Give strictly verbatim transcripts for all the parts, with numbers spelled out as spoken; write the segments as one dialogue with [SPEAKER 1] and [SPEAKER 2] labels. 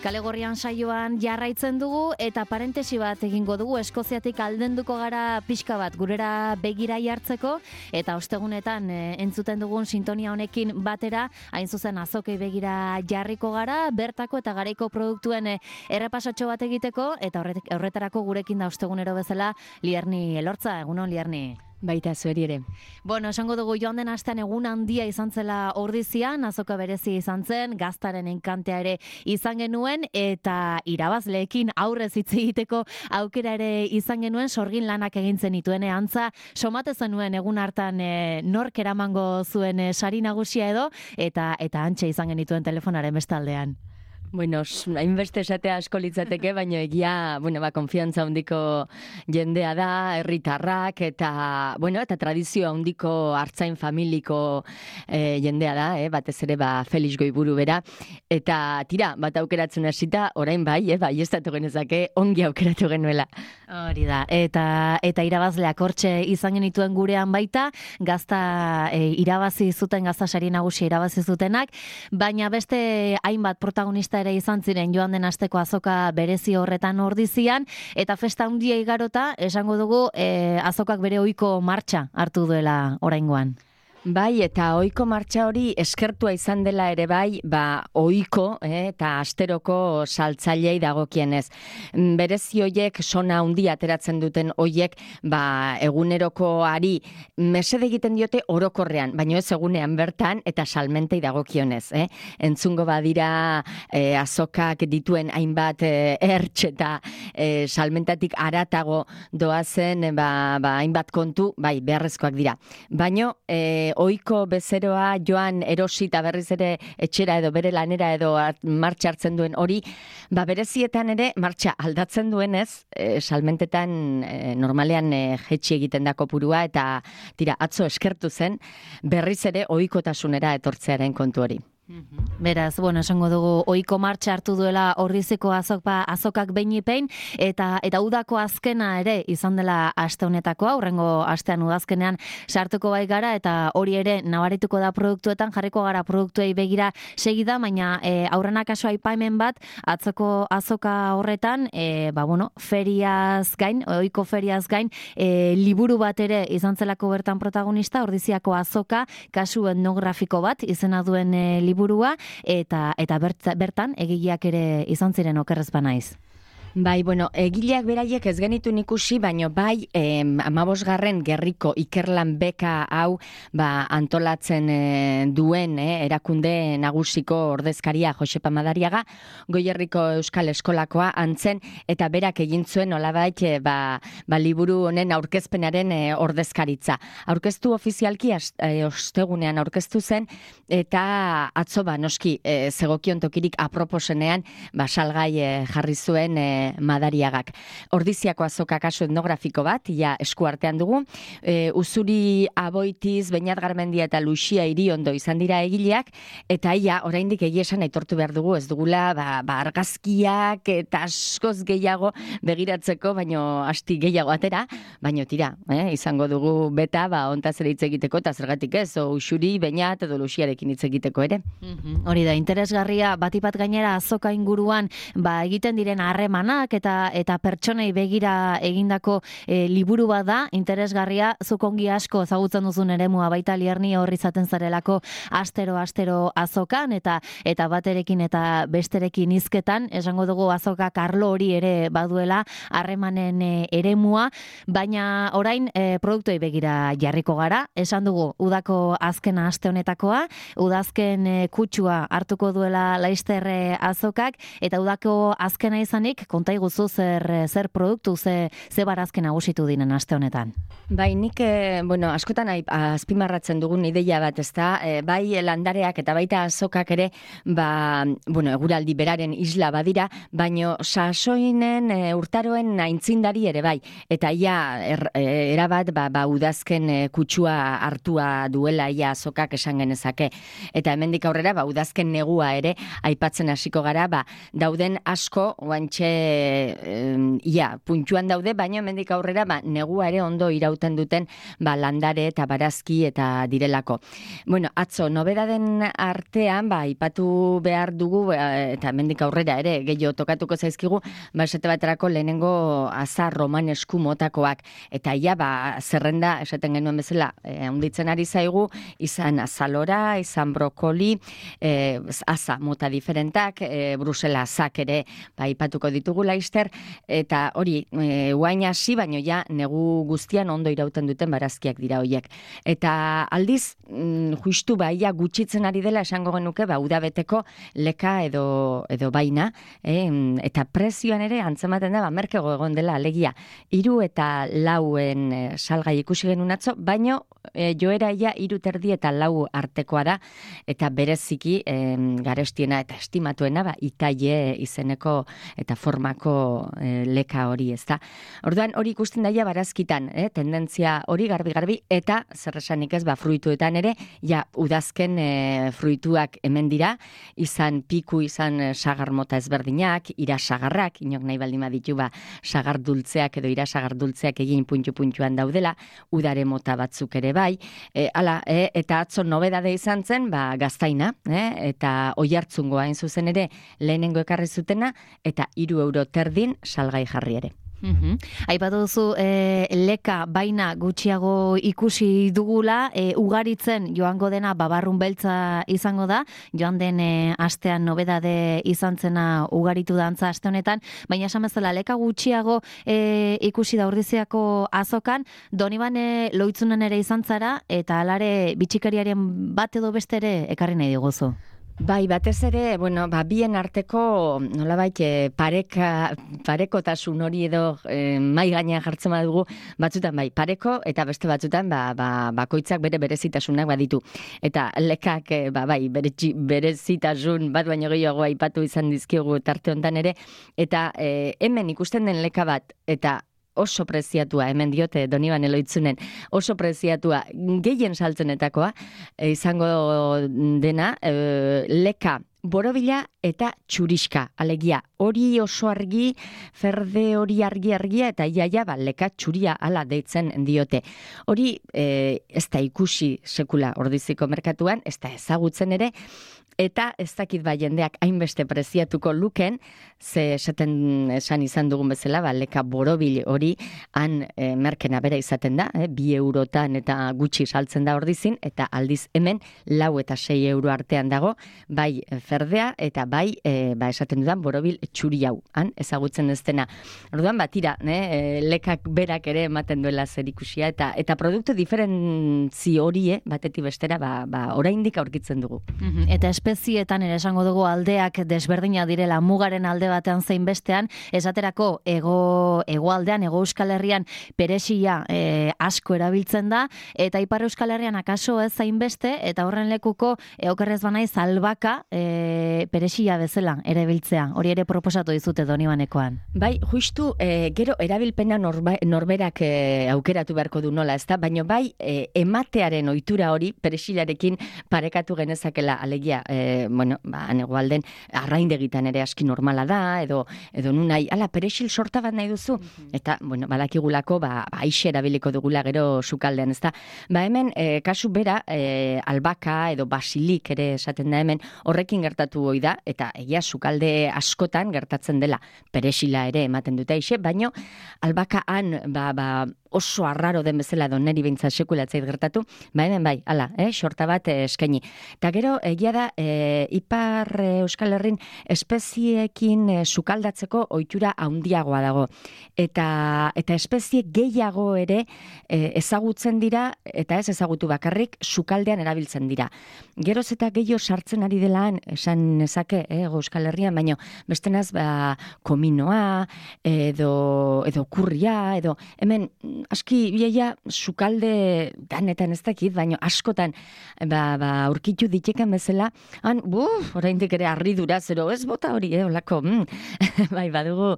[SPEAKER 1] Kale Gorrian saioan jarraitzen dugu eta parentesi bat egingo dugu. Eskoziatik aldenduko gara pixka bat gurera begira jartzeko eta ostegunetan e, entzuten dugun sintonia honekin batera hain zuzen azokei begira jarriko gara, bertako eta garaiko produktuen e, errepasatxo bat egiteko eta horret, horretarako gurekin da ostegunero bezala Lierni Elortza. Egunon, Lierni.
[SPEAKER 2] Baita zueri ere.
[SPEAKER 1] Bueno, esango dugu joan den astean egun handia izan zela Ordizian, azoka berezi izan zen, gaztaren enkantea ere izan genuen, eta irabazleekin aurrez hitz egiteko aukera ere izan genuen, sorgin lanak egin zenituen antza, somate zenuen egun hartan e, nork eramango zuen e, sari nagusia edo, eta eta antxe izan genituen telefonaren bestaldean.
[SPEAKER 2] Bueno, hainbeste esatea asko litzateke, baina egia, bueno, ba, konfiantza handiko jendea da, herritarrak eta, bueno, eta tradizio handiko artzain familiko eh, jendea da, eh, batez ere, ba, Felix Goiburu bera, eta tira, bat aukeratzen hasita, orain bai, eh, bai, ez datu genezake, ongi aukeratu genuela.
[SPEAKER 1] Hori da, eta eta irabazleak hortxe izan genituen gurean baita, gazta e, irabazi zuten, gazta sari nagusia irabazi zutenak, baina beste hainbat protagonista ere izan ziren joan den asteko azoka berezi horretan Ordizian, eta festa handia igarota, esango dugu, e, azokak bere ohiko martxa hartu duela oraingoan.
[SPEAKER 2] Bai, eta ohiko martxa hori eskertua izan dela ere bai, ba, ohiko eh, eta asteroko saltzailei dagokienez. Berezi hoiek sona handi ateratzen duten hoiek, ba, egunerokoari mesede egiten diote orokorrean, baina ez egunean bertan eta salmentei dagokionez. Eh? Entzungo badira eh, azokak dituen hainbat eh, ertx eta eh, salmentatik aratago doazen eh, ba, ba, hainbat kontu, bai, beharrezkoak dira. Baina, eh, ohiko bezeroa joan erosi eta berriz ere etxera edo bere lanera edo martxa hartzen duen hori, ba berezietan ere martxa aldatzen duenez, e, salmentetan e, normalean e, jetxi egiten da kopurua eta tira atzo eskertu zen berriz ere ohikotasunera etortzearen kontu hori.
[SPEAKER 1] Beraz, bueno, esango dugu ohiko martxa hartu duela Ordiziko azokpa azokak beinipein eta eta udako azkena ere izan dela aste honetakoa, hurrengo astean udazkenean sartuko bai gara eta hori ere nabarituko da produktuetan, jarriko gara produktuei begira segida, baina e, aurrena kaso aipamen bat atzoko azoka horretan, e, ba bueno, feriaz gain, ohiko feriaz gain, e, liburu bat ere izan zelako bertan protagonista, Ordiziako azoka, kasu etnografiko bat izena duen e, liburu burua, eta eta bertan egileak ere izan ziren okerrez banaiz.
[SPEAKER 2] Bai, bueno, egileak beraiek ez genitu ikusi, baino bai, eh, amabosgarren gerriko ikerlan beka hau ba, antolatzen eh, duen eh, erakunde nagusiko ordezkaria Josepa Madariaga, Goierriko Euskal Eskolakoa antzen, eta berak egin zuen olabait eh, ba, ba, liburu honen aurkezpenaren eh, ordezkaritza. Aurkeztu ofizialki eh, ostegunean aurkeztu zen, eta atzo ba, noski eh, zegokion tokirik aproposenean ba, salgai eh, jarri zuen eh, Madariagak. Ordiziako azoka kasu etnografiko bat, ja eskuartean dugu. E, Uzuri Aboitiz, Beñat Garmendia eta Luxia Iriondo izan dira egileak, eta ia oraindik egia esan aitortu behar dugu, ez dugula ba, ba argazkiak eta askoz gehiago begiratzeko, baino asti gehiago atera, baino tira, eh, izango dugu beta, ba, ontaz ere hitz egiteko, eta zergatik ez, o Uxuri, Beñat edo Luxiarekin hitz egiteko ere.
[SPEAKER 1] Mm-hmm. Hori da, interesgarria, batipat gainera azoka inguruan, ba, egiten diren harremana, eta eta pertsonei begira egindako e, liburu bat da, interesgarria, zuk ongi asko ezagutzen duzun eremua baita Lierni horri izaten zarelako astero astero azokan eta eta baterekin eta besterekin hizketan, esango dugu azokak arlo hori ere baduela harremanen e, eremua, baina orain e, produktoi begira jarriko gara, esan dugu udako azkena aste honetakoa, udazken e, kutsua hartuko duela Laister e, azokak eta udako azkena izanik konta iguzu zer, zer produktu, ze, ze barazken nagusitu dinen aste honetan.
[SPEAKER 2] Bai, nik, eh, bueno, askotan azpimarratzen dugun ideia bat, ezta, eh, bai landareak eta baita azokak ere, ba, bueno, eguraldi beraren isla badira, baino sasoinen eh, urtaroen aintzindari ere bai, eta ia er, eh, erabat, ba, ba udazken eh, kutsua hartua duela ia azokak esan genezake, eta hemendik aurrera, ba udazken negua ere, aipatzen hasiko gara, ba, dauden asko, oantxe e, ia, puntxuan daude, baina hemendik aurrera ba, negua ere ondo irauten duten ba, landare eta barazki eta direlako. Bueno, atzo, nobedaden artean, ba, ipatu behar dugu, eta hemendik aurrera ere, gehiago tokatuko zaizkigu, ba, esate baterako lehenengo azar romanesku motakoak, eta ia, ba, zerrenda, esaten genuen bezala, e, handitzen ari zaigu, izan azalora, izan brokoli, e, aza mota diferentak, e, Brusela azak ere, ba, ipatuko ditugu laister, eta hori, e, guain hasi, baino ja, negu guztian ondo irauten duten barazkiak dira hoiek. Eta aldiz, mm, justu ba, ia gutxitzen ari dela esango genuke, ba, udabeteko leka edo, edo baina, eh? Eta prezioan ere antzematen da, ba, merkego egon dela, alegia, hiru eta lauen e, salgai ikusi genuen atzo, baino e, joera ia hiru terdi eta lau artekoa da, eta bereziki e, garestiena eta estimatuena, ba, itaie izeneko eta formako e, leka hori, ez da. Orduan, hori ikusten daia barazkitan, eh? Tendentzia hori garbi-garbi, eta zer esanik ez, ba, fruituetan ere, ja, udazken e, fruituak hemen dira, izan piku, izan e, sagar mota ezberdinak, ira sagarrak, inok nahi baldin baditu, ba, sagar dultzeak edo ira sagar dultzeak egin puntu-puntuan daudela, udare mota batzuk ere bai, e, ala, e, eta atzo nobedade izan zen, ba, gaztaina, eh? Eta oihartzungoa hain zuzen ere lehenengo ekarri zutena, eta hiru euro terdin salgai jarri ere.
[SPEAKER 1] Uhum. Aipatu duzu e, leka baina gutxiago ikusi dugula, e, ugaritzen joango dena babarrun beltza izango da, joan den e, astean nobedade izan zena ugaritu dantza aste honetan, baina esan bezala leka gutxiago e, ikusi da Ordiziako azokan, Donibane Loitzunen ere izan zara, eta alare bitxikariaren bat edo beste ere ekarri nahi diguzu.
[SPEAKER 2] Bai, batez ere, bueno, ba, bien arteko, nolabait, e, pareka, parekotasun hori edo e, mai gainean jartzen badugu, batzutan bai, pareko, eta beste batzutan, ba, ba, bakoitzak bere berezitasunak baditu. Eta lekak, e, ba, bai, bere, berezitasun bat baino gehiago aipatu izan dizkiogu tarte hontan ere, eta e, hemen ikusten den leka bat, eta oso preziatua, hemen diote Donibane Loitzunen, oso preziatua, gehien saltzenetakoa, e, izango dena, e, leka borobila eta txuriska, alegia, hori oso argi, ferde hori argi-argia, eta iaia, ba, leka txuria ala deitzen diote. Hori e, ez da ikusi sekula Ordiziko merkatuan, ez da ezagutzen ere, eta ez dakit ba jendeak hainbeste preziatuko luken, ze esaten esan izan dugun bezala, ba, leka borobil hori han e, merkena bera izaten da, e, bi eurotan eta gutxi saltzen da Ordizin, eta aldiz hemen lau eta sei euro artean dago, bai ferdea eta bai e, ba, esaten dudan borobil txuri hau, han ezagutzen ez dena. Orduan bat ira, e, lekak berak ere ematen duela zer ikusia, eta, eta produktu diferentzi hori, batetik bestera, ba, ba, oraindik aurkitzen dugu.
[SPEAKER 1] Eta espezietan ere esango dugu aldeak desberdina direla, mugaren alde batean zein bestean, esaterako ego hegoaldean, ego Euskal Herrian peresia e, asko erabiltzen da, eta Ipar Euskal Herrian akaso ez zain beste, eta horren lekuko e, okerrez banaiz albaka e, peresia bezala erabiltzea. Hori ere proposatu dizute Donibanekoan.
[SPEAKER 2] Bai, justu e, gero erabilpena norba, norberak e, aukeratu beharko du nola, ezta? Baina bai e, ematearen ohitura hori peresilarekin parekatu genezakela, alegia, e, bueno, ba, hegoalden arraindegitan ere aski normala da, edo edo nunai, ala, peresil sorta bat nahi duzu, mm-hmm. Eta, bueno, badakigulako, ba, aixe erabiliko dugula gero sukaldean, ezta? Ba, hemen, e, kasu bera, e, albaka edo basilik ere esaten da hemen, horrekin gertatu hoi da, eta egia sukalde askotan gertatzen dela, peresila ere ematen dute aixe, baino, albaka han, ba, ba, oso arraro den bezala edo neri behintzat sekulatzait gertatu, ba hemen bai, ala, eh, sorta bat eh, eskaini. Eta gero, egia da, eh, Ipar eh, Euskal Herrin espeziekin eh, sukaldatzeko ohitura handiagoa dago. Eta, eta espezie gehiago ere eh, ezagutzen dira, eta ez ezagutu bakarrik, sukaldean erabiltzen dira. Geroz eta gehiago sartzen ari delaan, esan nezake, eh, Euskal Herrian, baino bestenaz, ba, kominoa, edo, edo kurria, edo, hemen, aski biaia sukalde ganetan ez dakit, baino askotan ba, ba, aurkitu diteken bezala, han, buf, oraindik ere harridura, zero ez bota hori, eh, olako, mm. bai, badugu,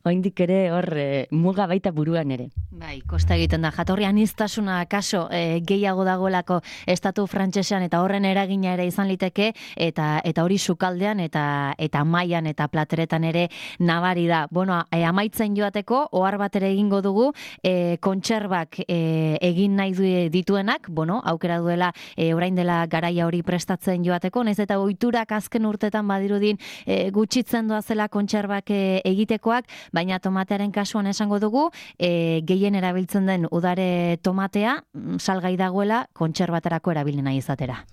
[SPEAKER 2] oraindik ere hor e, muga baita buruan ere.
[SPEAKER 1] Bai, kosta egiten da, jatorri aniztasuna kaso e, gehiago dagoelako estatu frantsesean eta horren eragina ere izan liteke, eta eta hori sukaldean eta eta mailan eta plateretan ere nabari da. Bueno, e, amaitzen joateko, ohar bat ere egingo dugu, e, kontserbak e, egin nahi du dituenak, bueno, aukera duela e, orain dela garaia hori prestatzen joateko, naiz eta ohiturak azken urtetan badirudin e, gutxitzen doazela kontserbak e, egitekoak, baina tomatearen kasuan esango dugu, e, gehien erabiltzen den udare tomatea, salgai dagoela kontserbatarako erabili nahi izatera.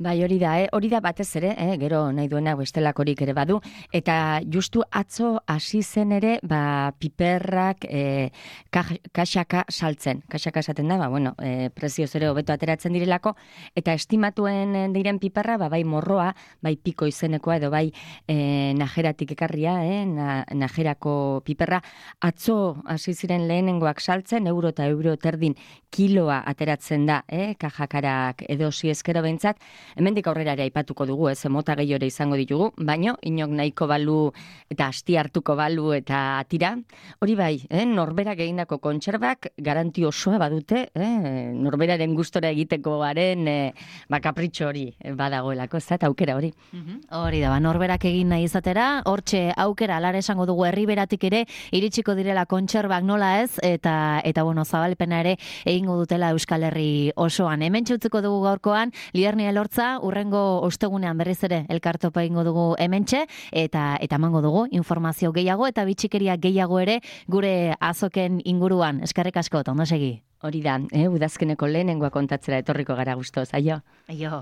[SPEAKER 2] Bai, hori da, eh? hori da batez ere, eh? gero nahi duena bestelakorik ere badu, eta justu atzo hasi zen ere, ba, piperrak e, kaxaka saltzen. Kaxaka esaten da, ba, bueno, e, prezioz ere hobeto ateratzen direlako, eta estimatuen diren piperra, ba, bai morroa, bai piko izenekoa, edo bai e, najeratik ekarria, eh? Na, najerako piperra, atzo hasi ziren lehenengoak saltzen, euro eta euro terdin kiloa ateratzen da, eh? Kajakarak edo eskero behintzat, hemendik aurrera ere aipatuko dugu, ez, mota gehiore izango ditugu, baino, inok nahiko balu eta asti hartuko balu eta tira. Hori bai, eh, norberak egindako kontserbak garanti osoa badute, eh, norberaren gustora egiteko garen eh, ba, kapritxo hori badagoelako, ez da, eta aukera hori.
[SPEAKER 1] Hori da, ba, norberak egin nahi izatera, hortxe aukera, alara esango dugu herriberatik ere, iritsiko direla kontserbak nola ez, eta, eta bueno, zabalpena ere egingo dutela Euskal Herri osoan. Hemen txutziko dugu gaurkoan, Liderni Elortza, urrengo ostegunean berriz ere elkartopa egingo dugu hementxe, eta eta emango dugu informazio gehiago eta bitxikeria gehiago ere gure azoken inguruan. Eskerrik asko, ondo segi.
[SPEAKER 2] Hori da, eh, udazkeneko lehenengoa kontatzera etorriko gara gustoz, aio.
[SPEAKER 1] Aio.